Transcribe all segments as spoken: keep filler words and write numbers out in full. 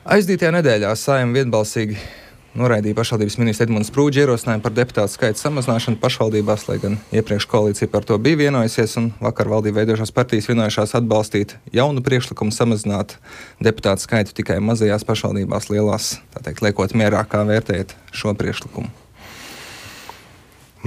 Aizdītajā nedēļā Saeima vienbalsīgi noraidīja pašvaldības ministra Edmunds Prūģa ierosinājumu par deputātu skaita samazināšanu pašvaldībās, lai gan iepriekš koalīcija par to bija vienojusies, un vakar valdību veidošās partijas vienojušās atbalstīt jaunu priekšlikumu samazināt deputātu skaitu tikai mazajās pašvaldībās, lielās, tā teikt, liekot mierā, kā vērtējat šo priekšlikumu.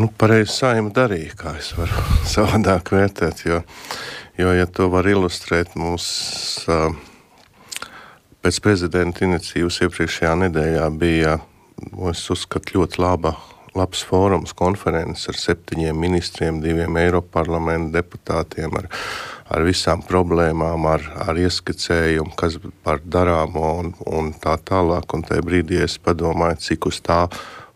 Nu, pareizi Saeima darīja, kā es varu savādāk vērtēt, jo, jo ja to var ilustrēt, mums uh, pēc prezidenta iniciatīvas iepriekšējā nedēļā bija, es uzskatu, ļoti laba, labs fórums, konferences ar septiņiem ministriem, diviem Eiroparlamenta deputātiem, ar, ar visām problēmām, ar, ar ieskicējumu, kas par darāmo un, un tā tālāk. Un tajā brīdī es padomāju, cik uz tā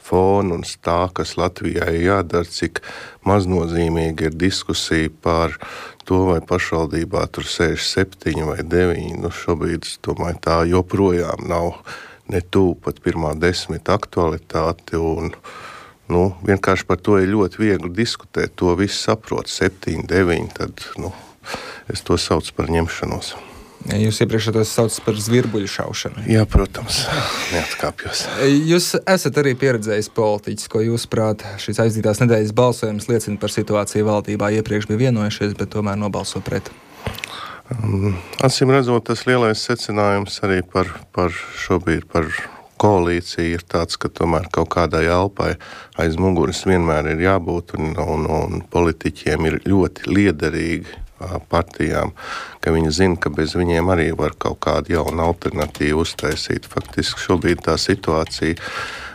fona un tā, kas Latvijai jādara, cik maznozīmīgi ir diskusija par to, vai pašvaldībā tur sēž septiņi vai deviņi. Nu, šobrīd, es domāju, tā joprojām nav ne tuvu pat pirmā desmita aktualitāte, un nu, vienkārši par to ir ļoti viegli diskutēt. To viss saprot, septiņi, deviņi, tad nu, es to saucu par ņemšanos. Ja jūs iepriekš tos saucat par zvirbuļu šaušanu. Jā, protams, neatkāpjos. Jūs esat arī pieredzējis politiķis, ko jūs prāt šīs aizdītās nedēļas balsojums liecina par situāciju valdībā. Iepriekš bija vienojušies, bet tomēr nobalso pret. Um, acīm redzot, tas lielais secinājums arī par, par šobrīd par koalīciju ir tāds, ka tomēr kaut kādai elpai aiz muguras vienmēr ir jābūt, un, un, un politiķiem ir ļoti liederīgi partijām, ka viņi zina, ka bez viņiem arī var kaut kādu jaunu alternatīvu uztaisīt. Faktiski šobrīd tā situācija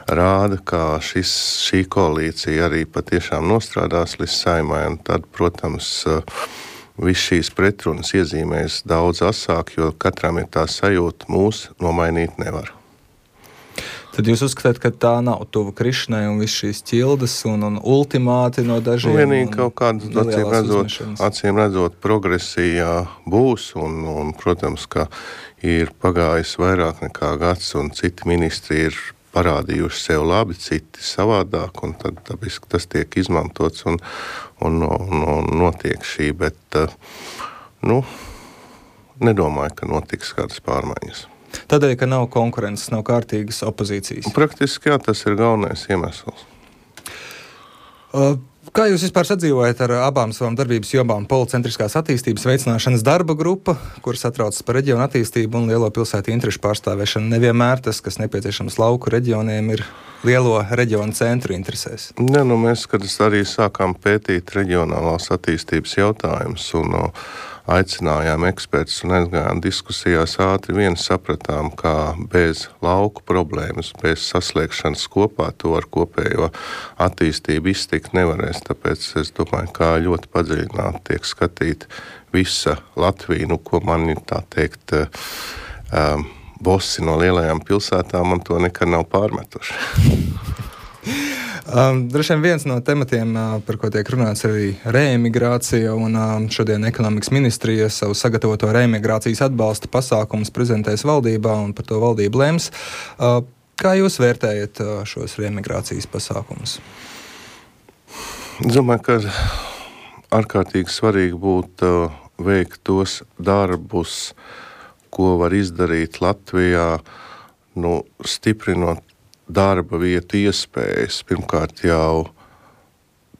rāda, ka šis, šī koalīcija arī patiešām nostrādās līdz Saeimai, un tad, protams, viss šīs pretrunas iezīmēs daudz asāk, jo katram ir tā sajūta, mūs nomainīt nevar. Tad jūs uzskatāt, ka tā nav tuva krišanai un viss šīs ķildes un, un ultimāti no dažiem? Nu, vienīgi kaut kādas, acīm redzot, acīm redzot, progresijā būs, un, un, protams, ka ir pagājis vairāk nekā gads, un citi ministri ir parādījuši sev labi, citi savādāk, un tad tāpēc, tas tiek izmantots un, un, un, un notiek šī, bet, nu, nedomāju, ka notiks kādas pārmaiņas. Tādēļ, ka nav konkurences, nav kārtīgas opozīcijas. Praktiski, jā, tas ir galvenais iemesls. Uh, kā jūs vispār sadzīvojat ar abām savām darbības jomām? Policentriskās attīstības veicināšanas darba grupa, kuras atraucas par reģionu attīstību un lielo pilsētu interešu pārstāvēšanu. Nevienmēr tas, kas nepieciešams lauku reģioniem, ir lielo reģionu centru interesēs. Ne, nu mēs, kad arī sākām pētīt reģionālās attīstības jautājumus un uh, aicinājām ekspertus un aizgājām diskusijās, ātri vien sapratām, ka bez lauku problēmas, bez saslēgšanas kopā to ar kopējo attīstību iztikt nevarēs. Tāpēc es domāju, kā ļoti padziļināti tiek skatīt visa Latvija, nu, ko man ir tā teikt, um, bosi no lielajām pilsētām, man to nekad nav pārmetuši. Um, Droši vien viens no tematiem, uh, par ko tiek runāts, ir arī reemigrācija, un um, šodien ekonomikas ministrija savu sagatavoto reemigrācijas atbalsta pasākumus prezentēs valdībā, un par to valdība lems. Uh, kā jūs vērtējat uh, šos reemigrācijas pasākumus? Es domāju, ka ārkārtīgi svarīgi būtu uh, veikt tos darbus, ko var izdarīt Latvijā, nu, stiprinot darba vietu iespējas. Pirmkārt jau,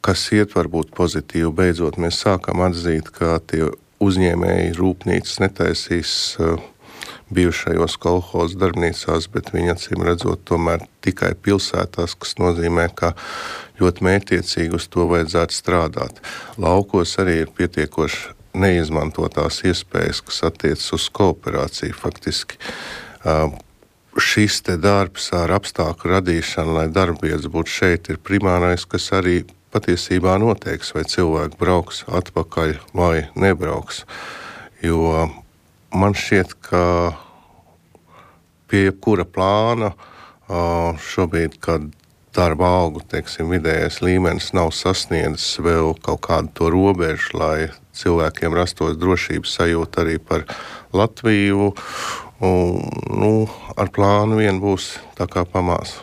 kas iet varbūt pozitīvi, beidzot mēs sākam atzīt, ka tie uzņēmēji rūpnīcas netaisīs uh, bijušajos kolhozu darbnīcās, bet viņi acīm redzot tomēr tikai pilsētās, kas nozīmē, ka ļoti mērķiecīgi uz to vajadzētu strādāt. Laukos arī ir pietiekoši neizmantotās iespējas, kas attiecas uz kooperāciju faktiski. Uh, Šis te darbs ar apstākļu radīšanu, lai darbvietas būtu šeit, ir primārais, kas arī patiesībā noteiks, vai cilvēki brauks atpakaļ vai nebrauks. Jo man šķiet, ka pie jebkura plāna šobrīd, kad darba algu, teiksim, vidējais līmenis nav sasniedzis vēl kaut kādu to robežu, lai cilvēkiem rastos drošības sajūta arī par Latviju, un, nu, ar plānu vien būs tā kā pamās.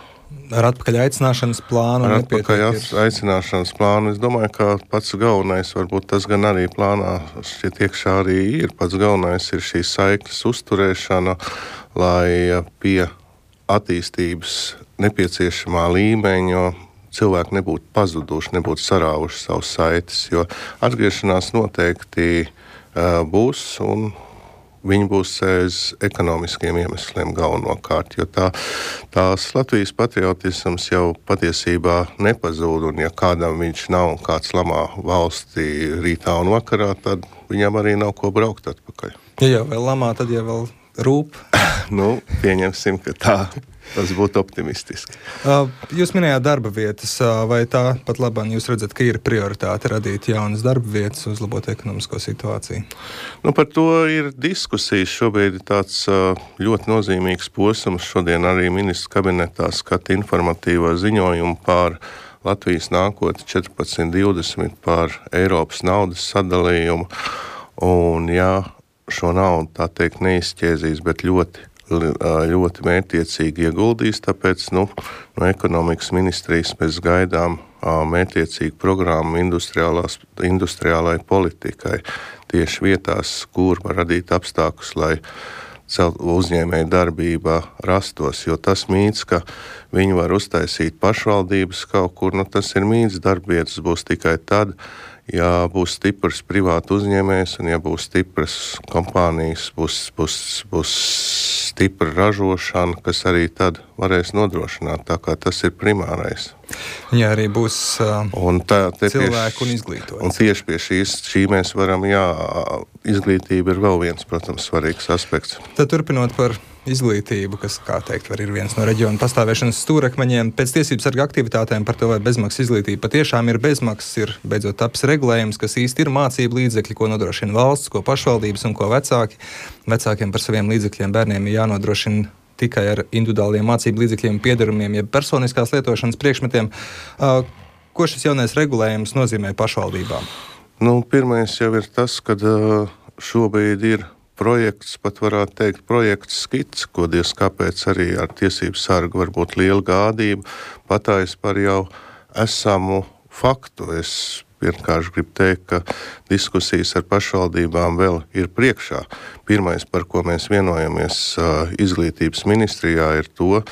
Ar atpakaļ aicināšanas plānu? Ar atpakaļ aicināšanas plānu. Es domāju, ka pats galvenais, varbūt tas gan arī plānā šķiet iekšā arī ir, pats galvenais ir šī saiknes uzturēšana, lai pie attīstības nepieciešamā līmeņa cilvēki nebūtu pazuduši, nebūtu sarāvuši savus saites, jo atgriešanās noteikti uh, būs un viņi būs aiz ekonomiskiem iemesliem galvenokārt, jo tā, tās Latvijas patriotisms jau patiesībā nepazūd, un ja kādam viņš nav un kāds lamā valstī rītā un vakarā, tad viņam arī nav ko braukt atpakaļ. Ja jau vēl lamā, tad jau vēl rūp. Nu, pieņemsim, ka tā. Tas būtu optimistiski. Jūs minējāt darba vietas, vai tā pat labāk jūs redzat, ka ir prioritāte radīt jaunas darba vietas, uzlabot ekonomisko situāciju? Nu, par to ir diskusijas. Šobrīd ir tāds ļoti nozīmīgs posms. Šodien arī ministra kabinetā skata informatīvo ziņojumu par Latvijas nākotni četrpadsmit divdesmit par Eiropas naudas sadalījumu. Un ja šo naudu tā teikt neizšķēzīs, bet ļoti ļoti mērķtiecīgi ieguldīs, tāpēc nu, no ekonomikas ministrijas mēs gaidām mērķtiecīgu programmu industriālai politikai tieši vietās, kur var radīt apstākļus, lai uzņēmēja darbība rastos, jo tas mīts, ka viņi var uztaisīt pašvaldības kaut kur, nu tas ir mīts, darbvietas būs tikai tad, ja būs stiprs privātu uzņēmējs un ja būs stipras kompānijas, būs, būs, būs stipra ražošana, kas arī tad varēs nodrošināt, tā kā tas ir primārais. Ja arī būs uh, un tā, cilvēku un izglītots. Un tieši pie šīs, šī mēs varam, jā, izglītība ir vēl viens, protams, svarīgs aspekts. Tad turpinot par izglītību, kas, kā teikt, var ir viens no reģiona pastāvēšanas stūrakmeņiem. Pēc tiesību sarga aktivitātēm par to, vai bezmaksas izglītība patiešām ir bezmaksas, ir beidzot taps regulējums, kas īsti ir mācību līdzekļi, ko nodrošina valsts, ko pašvaldības un ko vecāki. Vecākiem par saviem līdzekļiem bērniem ir jānodrošina tikai ar individuāliem mācību līdzekļiem, piederumiem, jeb personiskās lietošanas priekšmetiem. Uh, ko šis jaunais regulējums nozīmē pašvaldībām? Nu, pirmais jau ir tas, ka uh, šobrīd ir projekts, pat varētu teikt, projekts skits, ko diez kāpēc arī ar tiesību sargu var būt liela gādība, patājas par jau esamu faktu. Es vienkārši gribu teikt, ka diskusijas ar pašvaldībām vēl ir priekšā. Pirmais, par ko mēs vienojamies izglītības ministrijā, ir to,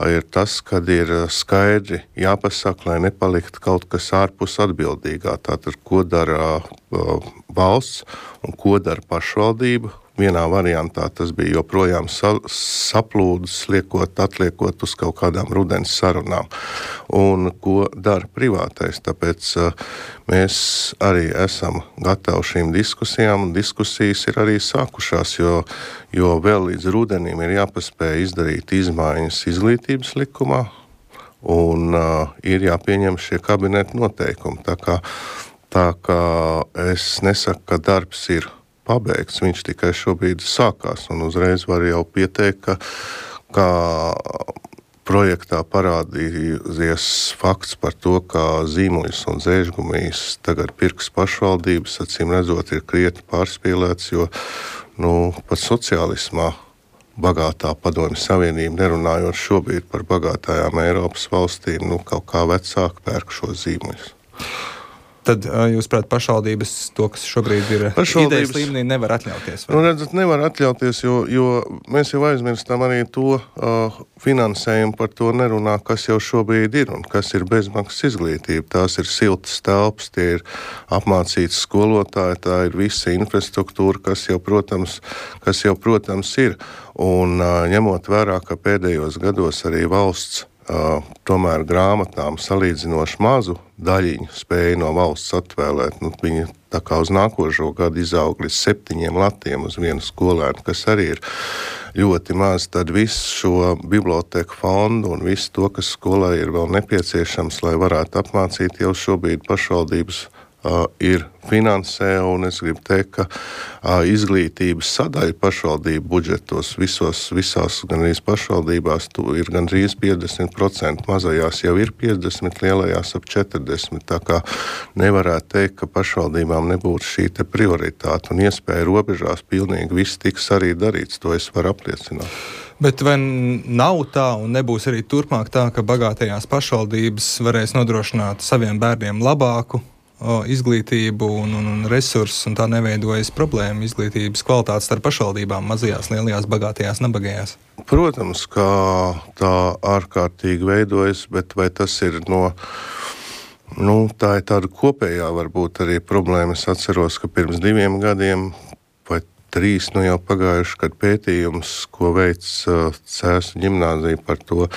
ir tas, kad ir skaidri jāpasaka, lai nepalikt kaut kas ārpus atbildīgā. Tātad, ko dara uh, valsts un ko dara pašvaldība. Vienā variantā tas bija joprojām sa- saplūdus, liekot, atliekot uz kaut kādām rudens sarunām. Un ko dara privātais. Tāpēc uh, mēs arī esam gatavi šīm diskusijām, un diskusijas ir arī sākušās, jo, jo vēl līdz rudenim ir jāpaspēj izdarīt izmaiņas izglītības likumā, un uh, ir jāpieņem šie kabineta noteikumi. Tā kā, tā kā es nesaku, ka darbs ir pabeigts, viņš tikai šobrīd sākās, un uzreiz var jau pieteikt, ka, ka projektā parādījies fakts par to, ka zīmuļus un zēžgumijas tagad pirks pašvaldības, acīm redzot, ir krietni pārspīlēts, jo nu, pat sociālismā bagātā padomju savienība, nerunājot šobrīd par bagātājām Eiropas valstīm, nu, kaut kā vecāki pērk šo zīmuļus. Tad jūs, prāt, pašvaldības to, kas šobrīd ir idejas līmenī, nevar atļauties? Vai? Nu, redzat, nevar atļauties, jo, jo mēs jau aizmirstam arī to uh, finansējumu, par to nerunā, kas jau šobrīd ir un kas ir bezmaksas izglītība. Tās ir siltas telpas, tie ir apmācīti skolotāji, tā ir visa infrastruktūra, kas jau, protams, kas jau, protams ir. Un uh, ņemot vērā, ka pēdējos gados arī valsts Uh, tomēr grāmatām salīdzinoši mazu daļiņu spēja no valsts atvēlēt. Nu, viņi tā kā uz nākošo gadu izaug līdz septiņiem latiem uz vienu skolēnu, kas arī ir ļoti maz. Tad visu šo biblioteku fondu un visu to, kas skolai ir vēl nepieciešams, lai varētu apmācīt, jau šobrīd pašvaldības Uh, ir finansē, un es gribu teikt, ka uh, izglītības sadaļa pašvaldību budžetos visos, visās gandrīz pašvaldībās ir gandrīz piecdesmit procenti, mazajās jau ir piecdesmit, lielajās ap četrdesmit, tā kā nevarētu teikt, ka pašvaldībām nebūtu šī te prioritāte un iespēja robežās pilnīgi viss tiks arī darīts, to es varu apliecināt. Bet vai nav tā un nebūs arī turpmāk tā, ka bagātajās pašvaldības varēs nodrošināt saviem bērniem labāku o, izglītību un, un, un resursus, un tā neveidojas problēma izglītības kvalitātes starp pašvaldībām, mazajās, lielajās, bagātajās, nabagajās? Protams, ka tā ārkārtīgi veidojas, bet vai tas ir no, nu, tā ir tāda kopējā varbūt arī problēma. Es atceros, ka pirms diviem gadiem vai trīs, nu jau pagājuši, kad pētījums, ko veic uh, Cēsu ģimnāzija par to,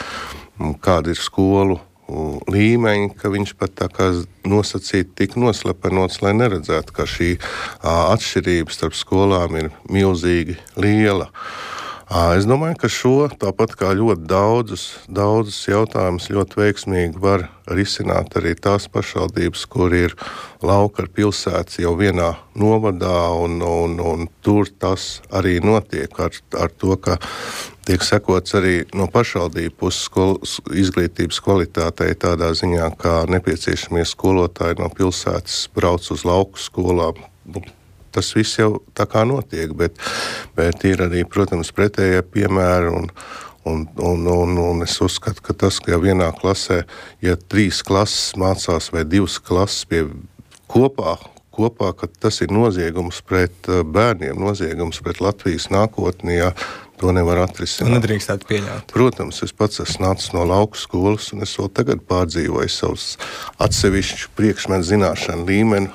kāda ir skolu uh, līmeņi, ka viņš pat tā kā nosacīt tik noslepenots, lai neredzētu, ka šī uh, atšķirība starp skolām ir milzīgi liela. Uh, es domāju, ka šo, tāpat kā ļoti daudzus, daudzus jautājumus ļoti veiksmīgi var risināt arī tās pašvaldības, kur ir lauka ar pilsētas jau vienā novadā, un, un, un tur tas arī notiek ar, ar to, ka tiek sekots arī no pašvaldību puses skol, izglītības kvalitātei tādā ziņā, kā nepieciešamie skolotāji no pilsētas brauc uz lauku skolām. Tas viss jau tā kā notiek, bet, bet ir arī, protams, pretējie piemēri, un, un, un, un, un es uzskatu, ka tas, ka jau vienā klasē, ja trīs klases mācās vai divas klases pie kopā, kopā, ka tas ir noziegums pret bērniem, noziegums pret Latvijas nākotni, ja to nevar atrisināt. Un nedrīkstētu pieļaut. Protams, es pats esmu nācis no lauku skolas, un es vēl tagad pārdzīvoju savus atsevišķu priekšmetu zināšanu līmeni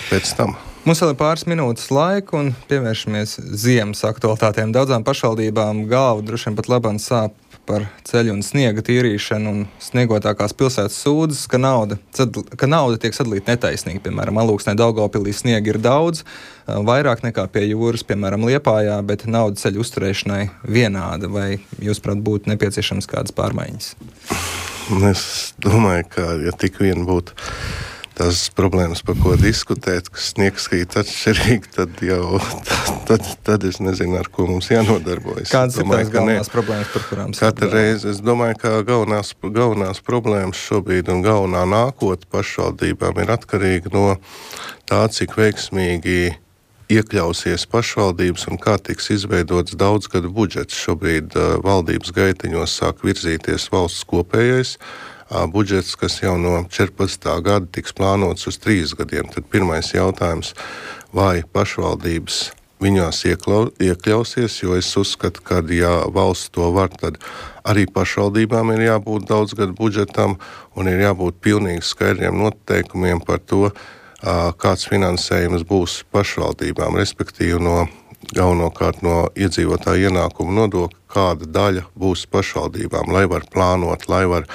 pēc tam. Mums vēl ir pāris minūtes laika, un pievēršamies ziemas aktualitātēm. Daudzām pašvaldībām galva droši vien pat labāk sāp par ceļu un sniega tīrīšanu, un sniegotākās pilsētas sūdzas, ka nauda, ka nauda tiek sadalīta netaisnīgi. Piemēram, Alūksnē, Daugavpilī sniega ir daudz, vairāk nekā pie jūras, piemēram, Liepājā, bet nauda ceļu uzturēšanai vienāda. Vai jūs, prāt, būtu nepieciešams kādas pārmaiņas? Es domāju, ka ja tik vien būtu tās problēmas, par ko diskutēt, ka sniegs krīt atšķirīgi, tad jau tad, tad, tad es nezinu, ar ko mums jānodarbojas. Kādas ir tās galvenās ne. problēmas, par kurām Katra reize, es domāju, ka galvenās, galvenās problēmas šobrīd un galvenā nākotne pašvaldībām ir atkarīga no tā, cik veiksmīgi iekļausies pašvaldības un kā tiks izveidots daudzgadu budžets. Šobrīd uh, valdības gaitiņos sāk virzīties valsts kopējais budžets, kas jau no četrpadsmitā gada tiks plānots uz trīs gadiem. Tad pirmais jautājums, vai pašvaldības viņās ieklau, iekļausies, jo es uzskatu, ka ja valsts to var, tad arī pašvaldībām ir jābūt daudzgadu budžetam un ir jābūt pilnīgi skaidriem noteikumiem par to, kāds finansējums būs pašvaldībām, respektīvi no galvenokārt no iedzīvotāju ienākumu nodokļa, kāda daļa būs pašvaldībām, lai var plānot, lai var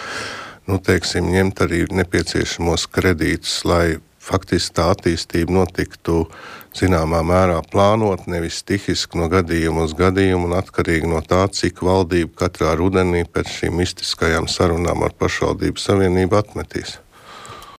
nu, teiksim, ņemt arī nepieciešamos kredītus, lai faktiski tā attīstība notiktu zināmā mērā plānot, nevis stihiski no gadījuma uz gadījumu un atkarīgi no tā, cik valdība katrā rudenī pēc šīm mistiskajām sarunām ar pašvaldību savienību atmetīs.